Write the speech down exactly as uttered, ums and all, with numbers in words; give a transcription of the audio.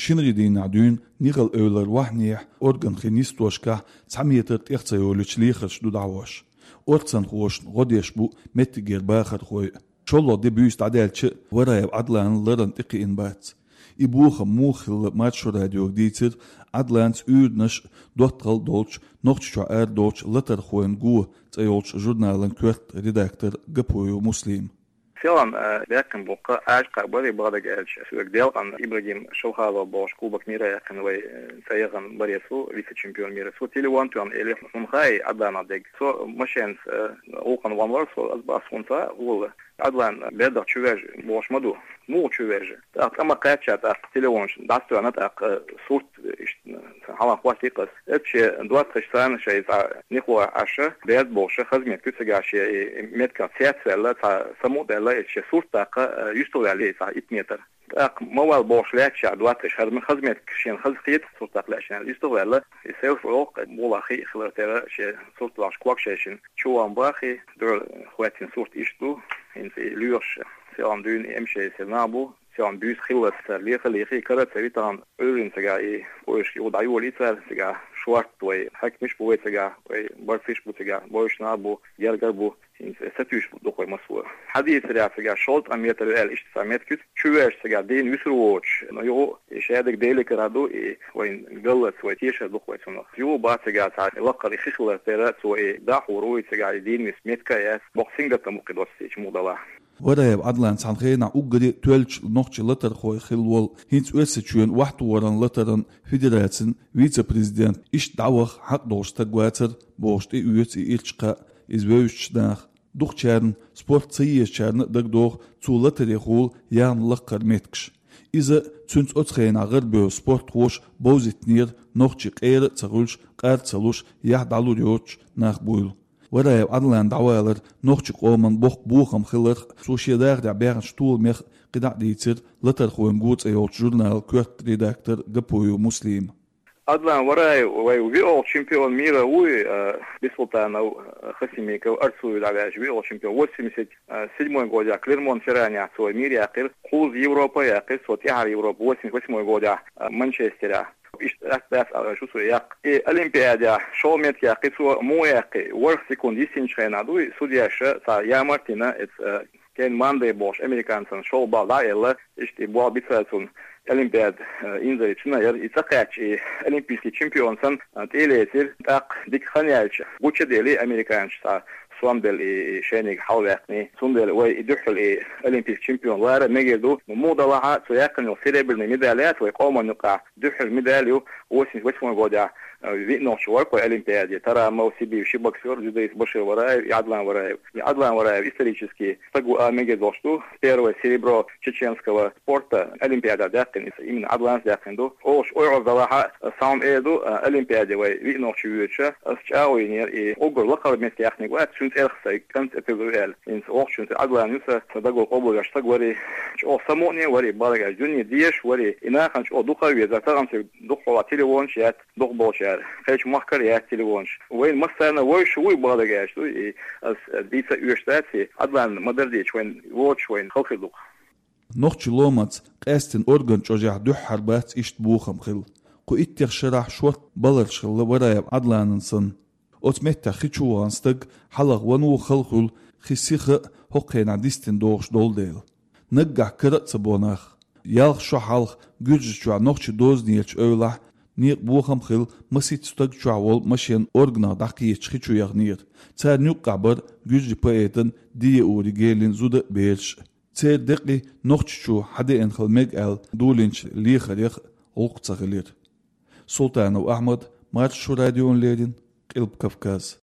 Шинарин дийнахь дуьйна нигала эвлара вахнехь орган хи нисдошкахь цхьа метр тӀех ца йолуьйтуш лехарш ду дӀахьош. Орцанхошна гӀо деш бу меттигера бахархой. ШолгӀа де буьйса дӀадаьлча а Вараев Ӏадлан ларан тӀекхиъна бац. И бохам муха хилла Маршо радиога дийцира Ӏадланца уьйранаш а, доттагӀалла а долчу Нохчийчохь арадолчу «Латархойн го» цӀе йолчу журналан коьрта редактор Гапоев Муслим. Селхана, э, баьккхина бу-кх, Ӏаьржа кхаъ бара, бакъдерг аьлча, соьга делкъана Ибрагим Шалхалов бохуш, Кубок мира яьккхина вай, э, цӀе яхана баре цо, вице-чемпион мира. Цо телефон тоьхна элира, хьуна хаьий Ӏадланах дерг? Со машенца, э, гӀуллакхана вахана вара, со, аса бах хьуна ца а гӀолла. Ӏадлан бердах чувержа бохуш ма ду. Муха чувержа? ТӀаккха цӀа ма кхаьчча, тӀаккха телефонаш дӀасатоьхна, тӀаккха, э, сурт, э, иштта, э, хьалха хӀоттийра-кх ас. Эпча доттагӀаш санна шайн цхьа нихо Ӏаш, берд бохуш, хаза меттиг ю цигахь шен, и, и меттигах цецваьлла, цхьа самукъадаьлла, и шен сурт тӀаккха, э, юьстахваьлла, и цхьа итт метр. ТӀаккха ма вала бохуш лаьтташ доттагӀаш, хӀара ма хаза меттиг, шена хаза хета сурт тӀаккха лаьтташ аьлла, юьстахваьлла, и селфи олу-кх, муха хи хилар тера, шен сурт вахча ког шайшина. Чу ван бахий, дуьхьал хӀоьттина сурт иштта ду, хӀинца и лоьхуш, селхана дуьйна и эм шесть нах бу, селхана буьйса хиллалц цара леха а лехий, кара а ца ви тахана, Ӏуьйранна цигахь и поезд юха дӀайолий цара, цигахь шортта вай хьаькамаш а бу вай цигахь, вай барсиш а бу цигахь, бойуш нах а бу, гергара а бу, хӀинца сатуьйсуш ду-кх вай массо а. Хьадийцарехь, цигахь шовзткъа метр ю аьлла, иштта цхьа меттиг ю, чувержа цигахь дийна вуьсур воцуш, но юха и шадерг Деликара ду, и вайн галлалц вай тешар ду-кх вай цунах. Юха бац цигахь цхьа лакхара и хи хилар тера, цо и дӀахьур ву, и цигахь и дийна вис меттиг а яц, боккха сингаттам бу-кх и доццийча муха далахь. Вараев Ӏадлан цхьана хенахь уггаре а тоьллачу нохчийн латархой хилла волу, хӀинца Оьрсийчоьнан охьатохаран латаран федерацин вице-президент, иштта дӀаваха хьакъ долуш стаг вацара, бохуш тӀеоьцу и ирча кхаъ, иза вевзачу наха. Дукхачарна, спорт ца езачарна а дагадогӀу цо латарехула яьхна лакхара меттигаш. Иза цуьнца оцу хенахь гӀарабевлла спортхоша бовзийтинера нохчий къера а ца хуьлуш, къар а ца луш, яхь дӀалур йоцуш нах буйла. Вараев Ӏадлан дӀавалар нохчийн къоман боккха бохам хиларх а, цо шен дахарехь баьхначу толамех а кхидӀа а дийцира «Латархойн го» цӀе йолчу журналан коьрта редактор Гапоев Муслима. Ӏадлан Вараев вай виъолгӀа чемпион мира вуй, э, Бисултанов, э, Хасимиков, Арцуев дӀаваьлча виъолгӀа чемпион. Восемьдесят седьмой годехь Клермон-Ферранехь цо мир яьккхира, кхузза Европа яьккхира цо, тӀаьхьара Европа, восемьдесят восьмой годехь, э, Манчестерехь. Иштта атта дац аьлла шу цо яккха. И Олимпиадехь шолгӀа меттиг яьккхи цо, муха яьккхи, ворхӀ секунд йисинчу хенахь дуй, судьяша цхьа ямарт йина, эца, э, Кен Мандей бохуш американцан шолгӀа балл дӀа а елла, иштта и болх бицара цунна. Олимпиада, э, инзаре цуьнан яра, и цӀа кхаьчча, и олимпийский чемпион санна, э, тӀе а лецира. ТӀаккха дика хан яьлча, гуча а делий, американцаша цхьа сом делла и, и шайниг хьалаваьккхиний. Цундела вай и дуьххьал и олимпийский чемпион лара а мегар ду. Муха далахь а, цо яьккхина йолу серебряный медаль яц вай къоман юкъахь, дуьххьара медаль ю, восемьдесят восьмой годехь, э, виъ нохчи вара-кх вай Олимпиаде, Тарамов, Сибиев, ши боксёр, дзюдоист Башир Вараев и Ӏадлан Вараев. И Ӏадлан Вараев исторически стаг ву а мегар долуш ду, первое серебро чеченского спорта Олимпиадехь даьккхина, иза именно Ӏадланца даьккхина ду. Олуш ойхьур далахь а, схьа-м эр ду, э, Олимпиаде вай виъ нохчи воьдуш, ас чӀагӀо йинера, и уггар лакхара меттиг яьккхинарг вац, цуьнан цӀерах сайн кӀант тӀе тилла ву аьлла. ХӀинца оха цуьнан Ӏадлан ю сан, сан дагахь къобалвеш стаг варий, чӀогӀа самукъане а варий, бакъдерг аьлча, дуьне дезаш варий, и нахана чӀогӀа дукха а везара, тахана цига дукхахьолахь телефонаш а яц, дукхахболчара, кхечу махкара а яц телефонаш. Вайна массарна а вевзаш вуй, бакъдерг аьлча, дуй, и ас дийца а оьшуш дац, и Ӏадлан ма-дарра дийцича, вайна воцуш вайна хала хир ду-кх. Нохчийн ломаца къаьстина орган чӀожехь дуьххьара бац иштта бохам хилла. Кху иттех шарахь шортта баларш хилла Вараев Ӏадланан санна. Оцу меттехь хи чу вахана стаг хьалха ван ву хала хуьлу, хи сиха а хӀокху хенахь дистина догӀуш долу дела. Наггахь кара а ца бо нах. Ялх шо хьалха Гуьржийчохь нохчийн дозанеллачу эвлахь некъан бохам а хилла, масийтта стаг чохь волу машен органах дӀакхеташ хи чу яханера. Царна юккъехь бара гуьржийн поэтан Диеури Гелин зуда а, бераш а. Церан декъий Нохчийчу хьадеана хила мега аьлла долийначу лехарех гӀуллакх ца хилира. Султанов Ахьмад, Маршо радиона леррина, Къилба Кавказ.